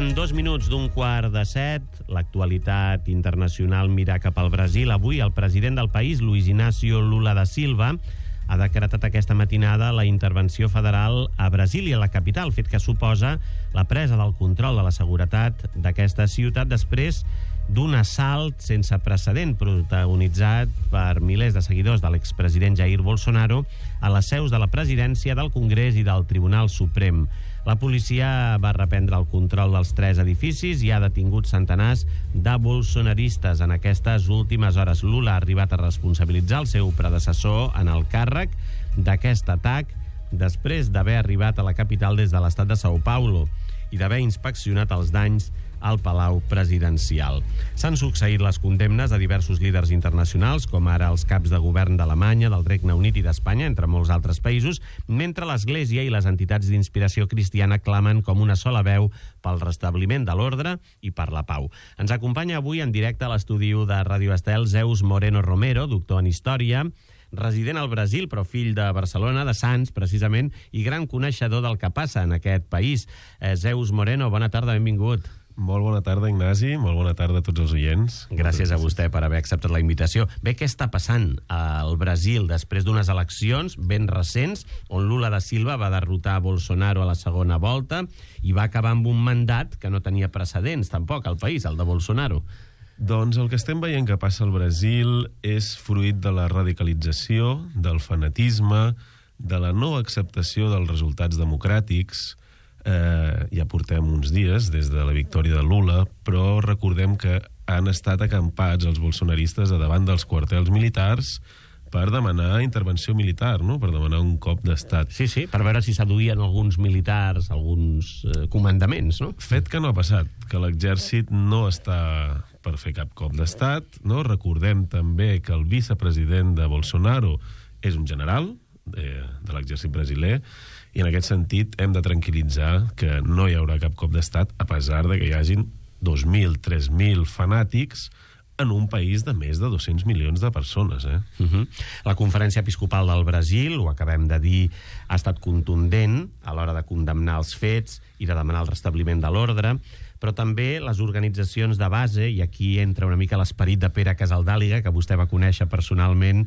Passen 2 minuts d'un quart de 7. L'actualitat internacional mira cap al Brasil. Avui el president del país, Luiz Inácio Lula da Silva, ha decretat aquesta matinada la intervenció federal a Brasília, la capital, fet que suposa la presa del control de la seguretat d'aquesta ciutat després d'un assalt sense precedent protagonitzat per milers de seguidors de l'expresident Jair Bolsonaro a les seus de la presidència, del Congrés i del Tribunal Suprem. La policia va reprendre el control dels 3 edificis i ha detingut centenars de bolsonaristes en aquestes últimes hores. Lula ha arribat a responsabilitzar el seu predecessor en el càrrec d'aquest atac després d'haver arribat a la capital des de l'estat de São Paulo i d'haver inspeccionat els danys al Palau Presidencial. S'han succeït les condemnes a diversos líders internacionals, com ara els caps de govern d'Alemanya, del Regne Unit i d'Espanya, entre molts altres països, mentre l'Església i les entitats d'inspiració cristiana clamen com una sola veu pel restabliment de l'ordre i per la pau. Ens acompanya avui en directe a l'estudi de Ràdio Estel Zeus Moreno Romero, doctor en Història, resident al Brasil, però fill de Barcelona, de Sants, precisament, i gran coneixedor del que passa en aquest país. Zeus Moreno, bona tarda, benvingut. Molt bona tarda, Ignasi. Molt bona tarda a tots els oients. Gràcies a vostè per haver acceptat la invitació. Bé, què està passant al Brasil després d'unes eleccions ben recents on Lula da Silva va derrotar Bolsonaro a la segona volta i va acabar amb un mandat que no tenia precedents tampoc al país, el de Bolsonaro? Doncs el que estem veient que passa al Brasil és fruit de la radicalització, del fanatisme, de la no acceptació dels resultats democràtics. Ja portem uns dies des de la victòria de Lula, però recordem que han estat acampats els bolsonaristes a davant dels quartels militars per demanar intervenció militar, no? Per demanar un cop d'estat. Sí, per veure si s'aduïen alguns militars, alguns comandaments, no? Fet que no ha passat, que l'exèrcit no està per fer cap cop d'estat, no? Recordem també que el vicepresident de Bolsonaro és un general de l'exèrcit brasiler, i en aquest sentit hem de tranquil·litzar que no hi haurà cap cop d'estat, a pesar de que hi hagin 2.000, 3.000 fanàtics en un país de més de 200 milions de persones. La Conferència Episcopal del Brasil, ho acabem de dir, ha estat contundent a l'hora de condemnar els fets i de demanar el restabliment de l'ordre, però també les organitzacions de base, i aquí entra una mica l'esperit de Pere Casaldàliga, que vostè va conèixer personalment,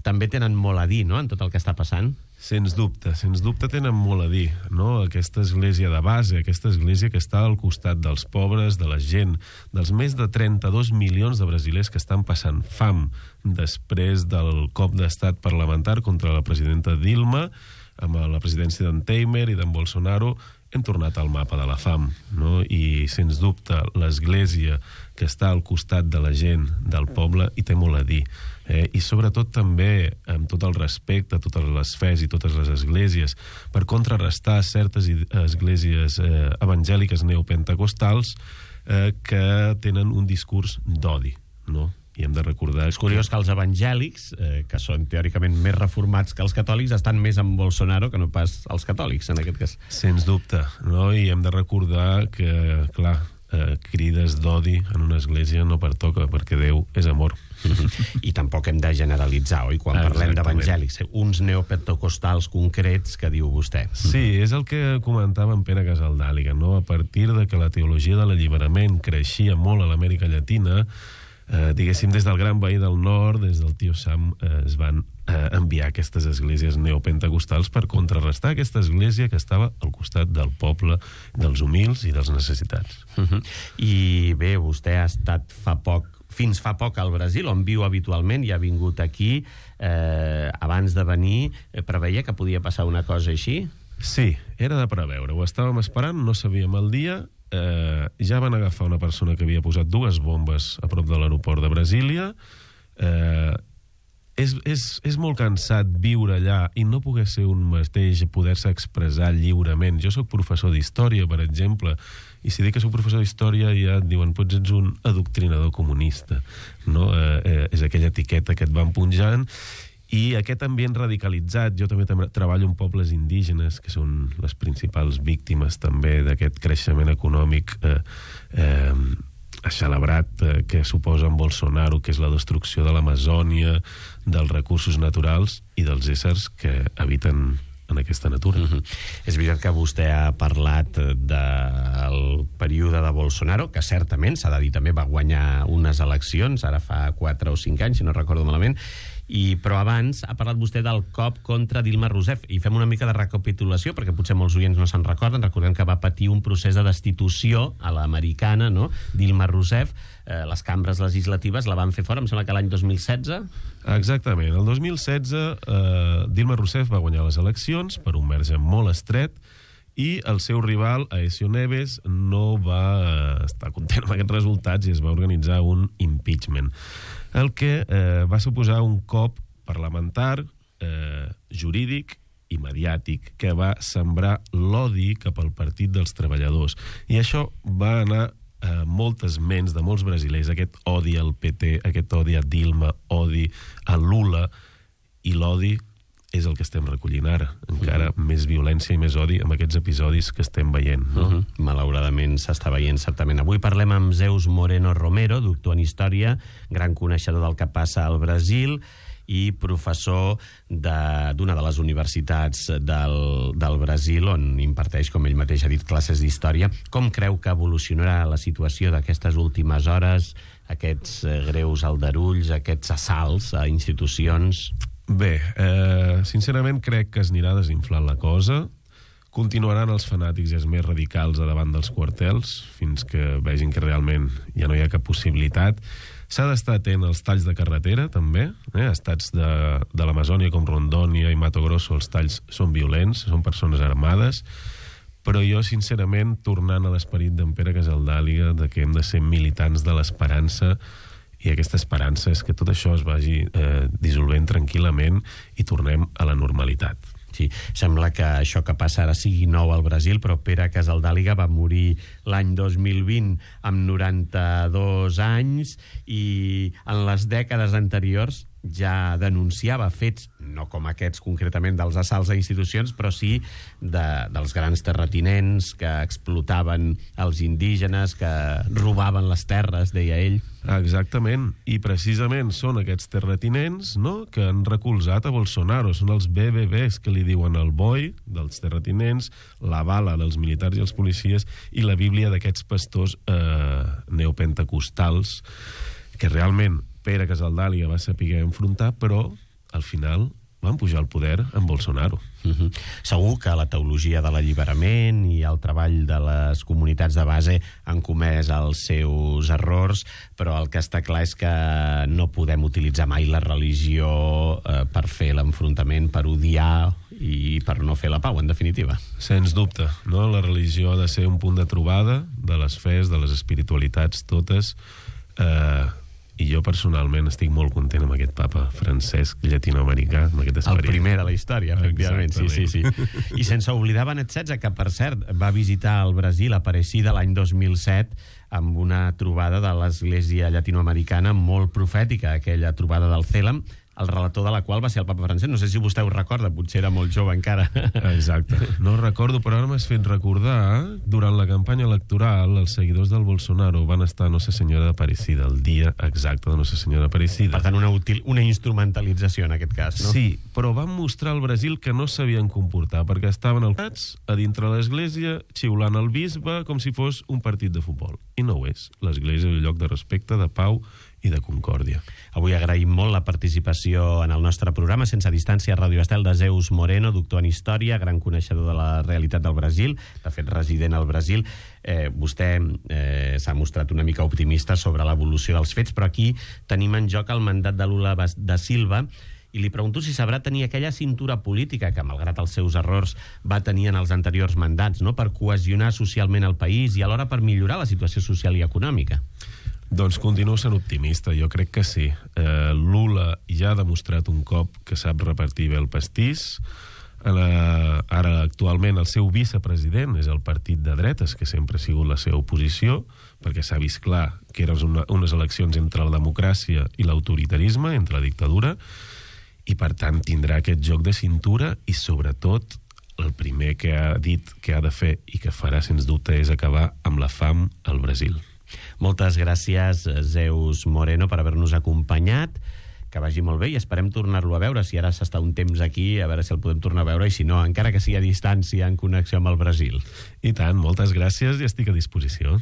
també tenen molt a dir, no?, en tot el que està passant. Sens dubte tenen molt a dir, no? Aquesta església de base, aquesta església que està al costat dels pobres, de la gent, dels més de 32 milions de brasilers que estan passant fam després del cop d'estat parlamentari contra la presidenta Dilma, amb la presidència d'en Temer i d'en Bolsonaro, hem tornat al mapa de la fam, no? I sens dubte l'església que està al costat de la gent, del poble, hi té molt a dir. I sobretot també, amb tot el respecte a totes les fes i totes les esglésies, per contrarrestar certes esglésies evangèliques neopentecostals que tenen un discurs d'odi, no? I hem de recordar... És curiós que els evangèlics, que són teòricament més reformats que els catòlics, estan més amb Bolsonaro que no pas els catòlics, en aquest cas. Sens dubte, no? I hem de recordar que, clar, crides d'odi en una església no pertoca, perquè Déu és amor. I tampoc hem de generalitzar, oi? Quan parlem d'evangèlics, uns neopentecostals concrets que diu vostè. Sí, és el que comentava en Pere Casaldàliga, no? A partir de que la teologia de l'alliberament creixia molt a l'Amèrica Llatina, diguéssim, des del gran veí del nord, des del tio Sam, es van enviar aquestes esglésies neopentecostals per contrarrestar aquesta església que estava al costat del poble, dels humils i dels necessitats. I bé, vostè ha estat fins fa poc al Brasil, on viu habitualment, i ha vingut aquí. Abans de venir, preveia que podia passar una cosa així? Sí, era de preveure. Ho estàvem esperant, no sabíem el dia. Ja van agafar una persona que havia posat 2 bombes a prop de l'aeroport de Brasília. És molt cansat viure allà i no poder ser un mateix, poder-se expressar lliurement. Jo sóc professor d'història, per exemple, i si dic que sóc professor d'història ja et diuen, potser ets un adoctrinador comunista, no? És aquella etiqueta que et van punjant. I aquest ambient radicalitzat, jo també treballo amb pobles indígenes, que són les principals víctimes també d'aquest creixement econòmic celebrat que suposa en Bolsonaro, que és la destrucció de l'Amazònia, dels recursos naturals i dels éssers que habiten en aquesta natura. És veritat que vostè ha parlat del període de Bolsonaro, que certament, s'ha de dir també, va guanyar unes eleccions, ara fa 4 o 5 anys, si no recordo malament, però abans ha parlat vostè del cop contra Dilma Rousseff, i fem una mica de recapitulació, perquè potser molts oients no se'n recorden. Recordem que va patir un procés de destitució a l'americana, no? Dilma Rousseff, les cambres legislatives la van fer fora, em sembla que l'any 2016. Exactament, el 2016 Dilma Rousseff va guanyar les eleccions per un marge molt estret, i el seu rival, Aécio Neves, no va estar content amb aquests resultats i es va organitzar un impeachment, el que va suposar un cop parlamentari, jurídic i mediàtic, que va sembrar l'odi cap al Partit dels Treballadors. I això va anar a moltes ments de molts brasilers, aquest odi al PT, aquest odi a Dilma, odi a Lula, i l'odi és el que estem recollint ara. Encara més violència i més odi amb aquests episodis que estem veient, no? Malauradament s'està veient, certament. Avui parlem amb Zeus Moreno Romero, doctor en Història, gran coneixedor del que passa al Brasil i professor d'una de les universitats del Brasil, on imparteix, com ell mateix ha dit, classes d'història. Com creu que evolucionarà la situació d'aquestes últimes hores, aquests greus aldarulls, aquests assalts a institucions? Bé, sincerament crec que es anirà desinflant la cosa. Continuaran els fanàtics i els més radicals a davant dels quartels fins que vegin que realment ja no hi ha cap possibilitat. S'ha d'estar atent als talls de carretera, també. Estats de l'Amazònia com Rondônia i Mato Grosso, els talls són violents, són persones armades, però jo, sincerament, tornant a l'esperit d'en Pere Casaldàliga, de que hem de ser militants de l'esperança, i aquesta esperança és que tot això es vagi dissolvent tranquil·lament i tornem a la normalitat. Sí, sembla que això que passa ara sigui nou al Brasil, però Pere Casaldàliga va morir l'any 2020 amb 92 anys i en les dècades anteriors ja denunciava fets, no com aquests concretament dels assalts a institucions, però sí dels grans terratinents que explotaven els indígenes, que robaven les terres, deia ell. Exactament, i precisament són aquests terratinents, no?, que han recolzat a Bolsonaro. Són els BBBs que li diuen el boi dels terratinents, la bala dels militars i els policies i la Bíblia d'aquests pastors neopentecostals que realment Pere Casaldàliga va saber enfrontar, però al final van pujar al poder amb Bolsonaro. Segur que la teologia de l'alliberament i el treball de les comunitats de base han comès els seus errors, però el que està clar és que no podem utilitzar mai la religió per fer l'enfrontament, per odiar i per no fer la pau, en definitiva. Sens dubte, no? La religió ha de ser un punt de trobada de les fes, de les espiritualitats totes, i jo personalment estic molt content amb aquest papa Francesc llatinoamericà, amb aquest esperit. El primer de la història, efectivament. Sí. I sense oblidar Benet XVI, que per cert va visitar el Brasil a Aparecida l'any 2007 amb una trobada de l'Església llatinoamericana molt profètica, aquella trobada del Cèlem, el relator de la qual va ser el papa Francesc. No sé si vostè ho recorda, potser era molt jove encara. Exacte, no ho recordo, però ara m'has fet recordar, durant la campanya electoral, els seguidors del Bolsonaro van estar a Nossa Senyora d'Aparecida, el dia exacte de Nossa Senyora d'Aparecida. Per tant, una instrumentalització en aquest cas, no? Sí, però van mostrar al Brasil que no sabien comportar, perquè estaven altats a dintre l'església, xiulant el bisbe com si fos un partit de futbol. I no ho és. L'església és un lloc de respecte, de pau i de concòrdia. Avui agraïm molt la participació en el nostre programa Sense Distància a Ràdio Estel de Zeus Moreno, doctor en Història, gran coneixedor de la realitat del Brasil, de fet resident al Brasil. Vostè s'ha mostrat una mica optimista sobre l'evolució dels fets, però aquí tenim en joc el mandat de Lula da Silva, i li pregunto si sabrà tenir aquella cintura política que, malgrat els seus errors, va tenir en els anteriors mandats, no?, per cohesionar socialment el país i alhora per millorar la situació social i econòmica. Doncs continuo sent optimista, jo crec que sí. Lula ja ha demostrat un cop que sap repartir bé el pastís. Ara, actualment, el seu vicepresident és el partit de dretes, que sempre ha sigut la seva oposició, perquè s'ha vist clar que eren unes eleccions entre la democràcia i l'autoritarisme, entre la dictadura, i per tant tindrà aquest joc de cintura i, sobretot, el primer que ha dit que ha de fer i que farà, sens dubte, és acabar amb la fam al Brasil. Moltes gràcies, Zeus Moreno, per haver-nos acompanyat. que vagi molt bé i esperem tornar-lo a veure. Si ara s'està un temps aquí, a veure si el podem tornar a veure, i si no, encara que sigui a distància, en connexió amb el Brasil. I tant, moltes gràcies i estic a disposició.